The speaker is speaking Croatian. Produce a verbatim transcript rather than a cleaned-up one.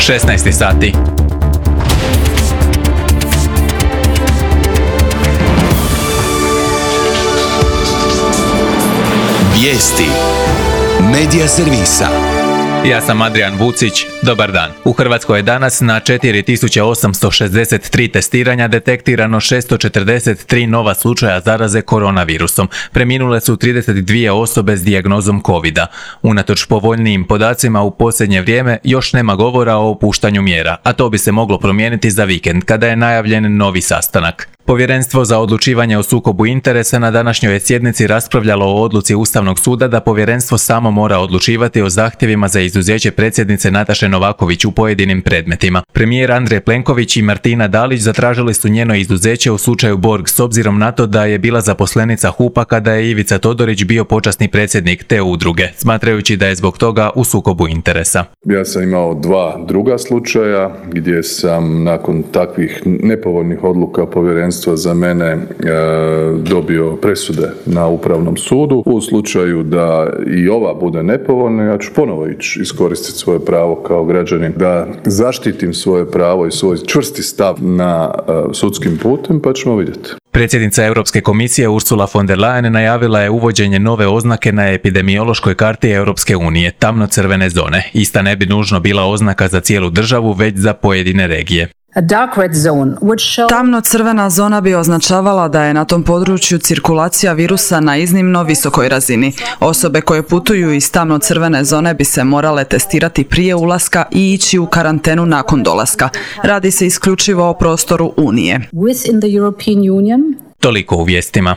šesnaest sati. Vijesti Medija servisa. Ja sam Adrian Vucić, dobar dan. U Hrvatskoj je danas na četiri tisuće osamsto šezdeset tri testiranja detektirano šesto četrdeset tri nova slučaja zaraze koronavirusom. Preminule su trideset dvije osobe s dijagnozom covida. Unatoč povoljnijim podacima u posljednje vrijeme još nema govora o opuštanju mjera, a to bi se moglo promijeniti za vikend kada je najavljen novi sastanak. Povjerenstvo za odlučivanje o sukobu interesa na današnjoj je sjednici raspravljalo o odluci Ustavnog suda da povjerenstvo samo mora odlučivati o zahtjevima za izuzeće predsjednice Nataše Novaković u pojedinim predmetima. Premijer Andrej Plenković i Martina Dalić zatražili su njeno izuzeće u slučaju Borg s obzirom na to da je bila zaposlenica HUP-a kada je Ivica Todorić bio počasni predsjednik te udruge, smatrajući da je zbog toga u sukobu interesa. Ja sam imao dva druga slučaja gdje sam nakon takvih nepovoljnih odluka povjerenstva za mene e, dobio presude na Upravnom sudu. U slučaju da i ova bude nepovoljna, ja ću ponovo ići iskoristiti svoje pravo kao građanin da zaštitim svoje pravo i svoj čvrsti stav na e, sudskim putem, pa ćemo vidjeti. Predsjednica Europske komisije Ursula von der Leyen najavila je uvođenje nove oznake na epidemiološkoj karti Europske unije, tamno-crvene zone. Ista ne bi nužno bila oznaka za cijelu državu, već za pojedine regije. Tamno-crvena zona bi označavala da je na tom području cirkulacija virusa na iznimno visokoj razini. Osobe koje putuju iz tamno-crvene zone bi se morale testirati prije ulaska i ići u karantenu nakon dolaska. Radi se isključivo o prostoru Unije. Toliko u vijestima.